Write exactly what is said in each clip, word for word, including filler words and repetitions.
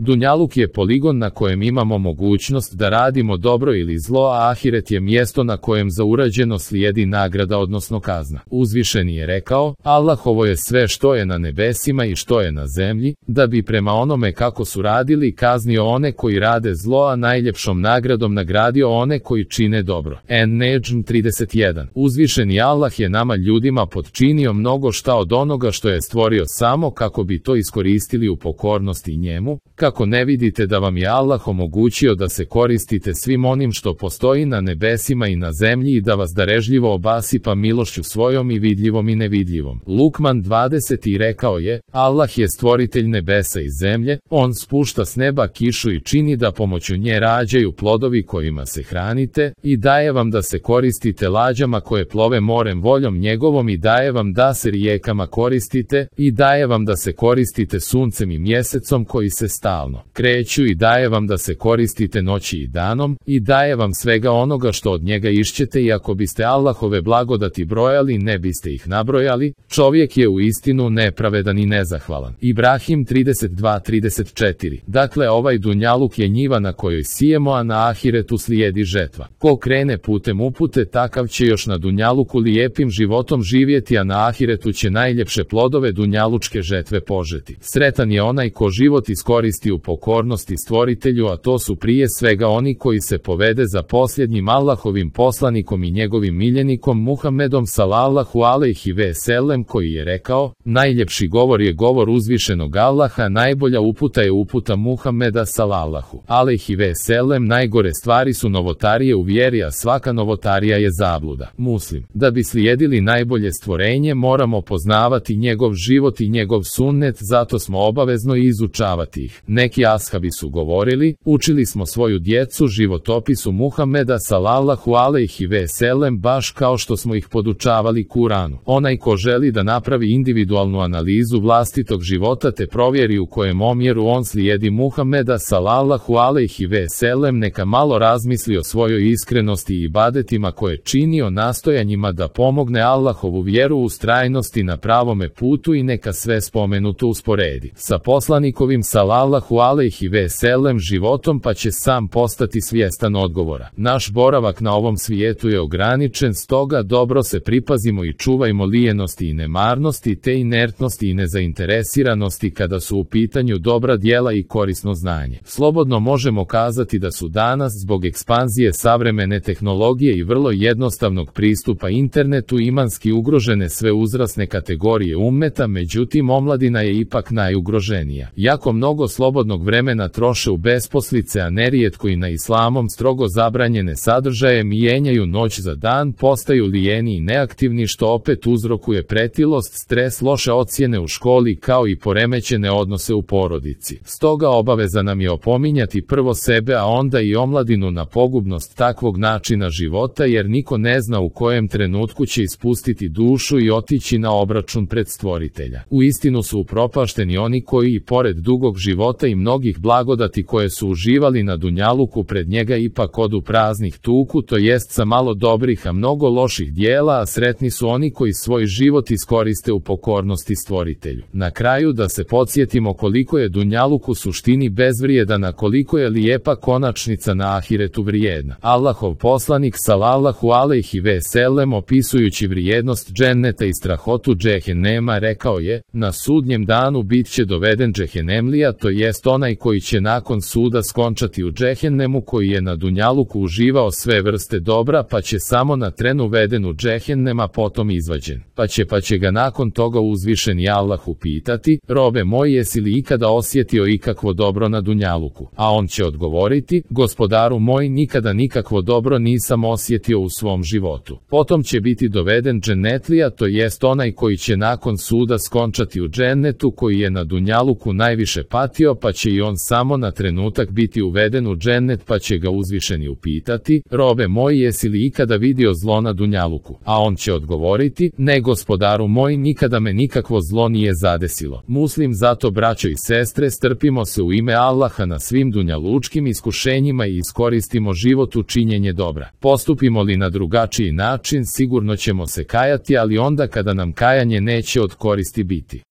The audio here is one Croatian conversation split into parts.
Dunjaluk je poligon na kojem imamo mogućnost da radimo dobro ili zlo, a ahiret je mjesto na kojem za urađeno slijedi nagrada odnosno kazna. Uzvišeni je rekao: Allahovo je sve što je na nebesima i što je na zemlji, da bi prema onome kako su radili kaznio one koji rade zlo, a najljepšom nagradom nagradio one koji čine dobro. En-Nedžm trideset jedan. Uzvišeni Allah je nama ljudima potčinio mnogo šta od onoga što je stvorio samo kako bi to iskoristili u pokornosti njemu. Kako ne vidite da vam je Allah omogućio da se koristite svim onim što postoji na nebesima i na zemlji i da vas darežljivo obasipa milošću svojom i vidljivom i nevidljivom. Lukman dvadeset. I rekao je: Allah je stvoritelj nebesa i zemlje, on spušta s neba kišu i čini da pomoću nje rađaju plodovi kojima se hranite, i daje vam da se koristite lađama koje plove morem voljom njegovom, i daje vam da se rijekama koristite, i daje vam da se koristite suncem i mjesecom koji se stalno kreću, i daje vam da se koristite noći i danom, i daje vam svega onoga što od njega išćete, i ako biste Allahove blagodati brojali ne biste ih nabrojali. Čovjek je u istinu nepravedan i nezahvalan. Ibrahim trideset dva trideset četiri. Dakle, ovaj dunjaluk je njiva na kojoj sijemo, a na ahiretu slijedi žetva. Ko krene putem upute, takav će još na dunjaluku lijepim životom živjeti, a na ahiretu će najljepše plodove dunjalučke žetve požeti. Sretan je onaj ko život iskoristi u pokornosti stvoritelju, a to su prije svega oni koji se povede za posljednjim Allahovim poslanikom i njegovim miljenikom Muhammedom sallallahu alejhi ve sellem, koji je rekao: najljepši govor je govor uzvišenog Allaha, najbolja uputa je uputa Muhammeda sallallahu alejhi ve sellem, najgore stvari su novotarije u vjeri, a svaka novotarija je zabluda. Muslim. Da bi slijedili najbolje stvorenje moramo poznavati njegov život i njegov sunnet, zato smo obavezno izučavati ih. Neki ashabi su govorili: učili smo svoju djecu životopisu Muhammeda sallallahu alejhi ve sellem baš kao što smo ih podučavali Kuranu. Onaj ko želi da napravi individualnu analizu vlastitog života te provjeri u kojem omjeru on slijedi Muhammeda sallallahu alejhi ve sellem, neka malo razmisli o svojoj iskrenosti i ibadetima koje čini, o nastojanjima da pomogne Allahovu vjeru u ustrajnosti na pravome putu, i neka sve spomenuto usporedi sa poslanikovim sallallahu alejhi ve sellem životom, pa će sam postati svjestan odgovora. Naš boravak na ovom svijetu je ograničen, stoga dobro se pripazimo i čuvajmo lijenosti i nemarnosti te inertnosti i nezainteresiranosti kada su u pitanju dobra djela i korisno znanje. Slobodno možemo kazati da su danas zbog ekspanzije savremene tehnologije i vrlo jednostavnog pristupa internetu imanski ugrožene sve uzrasne kategorije ummeta, međutim omladina je ipak najugroženija. Jako mnogo slobodnog vremena troše u besposlice, a nerijetko i na islamom strogo zabranjene sadržaje, mijenjaju noć za dan, postaju lijeni i neaktivni, što opet uzrokuje pretilost, stres, loše ocjene u školi kao i poremećene odnose u porodici. Stoga obaveza nam je opominjati prvo sebe, a onda i omladinu na pogubnost takvog načina života, jer niko ne zna u kojem trenutku će ispustiti dušu i otići na obračun pred stvoritelja. Uistinu su upropašteni oni koji i pored dugog života i mnogih blagodati koje su uživali na dunjaluku pred njega ipak odu praznih tuku, to jest sa malo dobrih a mnogo loših dijela, a sretni su oni koji svoj život iskoriste u pokornosti stvoritelju. Na kraju da se podsjetimo koliko je dunjaluk u suštini bezvrijedan, a koliko je lijepa konačnica na ahiretu vrijedna. Allahov poslanik sallallahu alejhi ve sellem, opisujući vrijednost dženneta i strahotu džehennema, rekao je: na sudnjem danu bit će doveden džehennemlija, to jest onaj koji će nakon suda skončati u džehennemu, koji je na dunjaluku uživao sve vrste dobra, pa će samo na tren uveden u džehennema, potom izvađen. Pa će pa će ga nakon toga uzvišeni Allah upitati: robe moj, jesi li ikada osjetio ikakvo dobro na dunjaluku? A on će odgovoriti: gospodaru moj, nikada nikakvo dobro nisam osjetio u svom životu. Potom će biti doveden džennetlija, to jest onaj koji će nakon suda skončati u džennetu, koji je na dunjaluku najviše patio, pa će i on samo na trenutak biti uveden u džennet, pa će ga uzvišeni upitati: robe moj, jesi li ikada vidio zlo na dunjaluku? A on će odgovoriti: ne, gospodaru moj, nikada me nikakvo zlo nije zadesilo. Muslim. Zato, braćo i sestre, strpimo se u ime Allaha na svim dunjalučkim iskušenjima i iskoristimo život u činjenje dobra. Postupimo li na drugačiji način, sigurno ćemo se kajati, ali onda kada nam kajanje neće od koristi biti.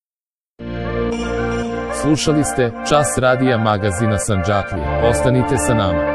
Slušali ste Čas radija magazina Sandžaklije. Ostanite sa nama.